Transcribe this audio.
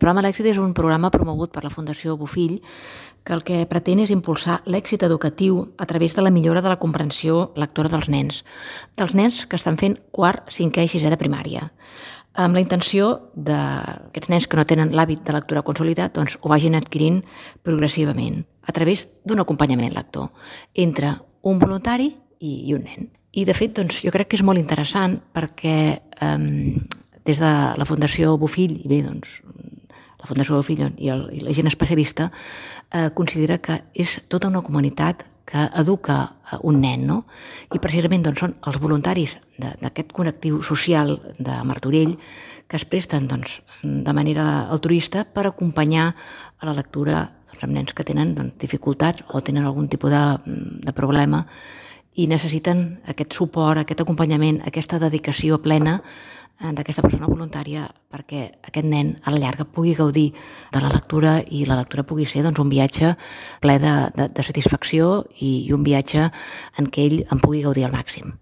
programa L'Èxit és un programa promogut per la Fundació Bofill que el que pretén és impulsar l'èxit educatiu a través de la millora de la comprensió lectora dels nens que estan fent quart, cinquè i sisè de primària, amb la intenció d'aquests nens que no tenen l'hàbit de lectura consolidat doncs ho vagin adquirint progressivament a través d'un acompanyament lector entre un voluntari i un nen. I de fet doncs, jo crec que és molt interessant perquè des de la Fundació Bofill i bé, doncs, la Fundació Bofill i la gent especialista considera que és tota una comunitat que educa un nen, no? I precisament doncs, són els voluntaris d'aquest connectiu social de Martorell que es presten doncs, de manera altruista per acompanyar a la lectura doncs, amb nens que tenen doncs, dificultats o tenen algun tipus de problema i necessiten aquest suport, aquest acompanyament, aquesta dedicació plena d'aquesta persona voluntària perquè aquest nen a la llarga pugui gaudir de la lectura i la lectura pugui ser doncs, un viatge ple de satisfacció i un viatge en què ell en pugui gaudir al màxim.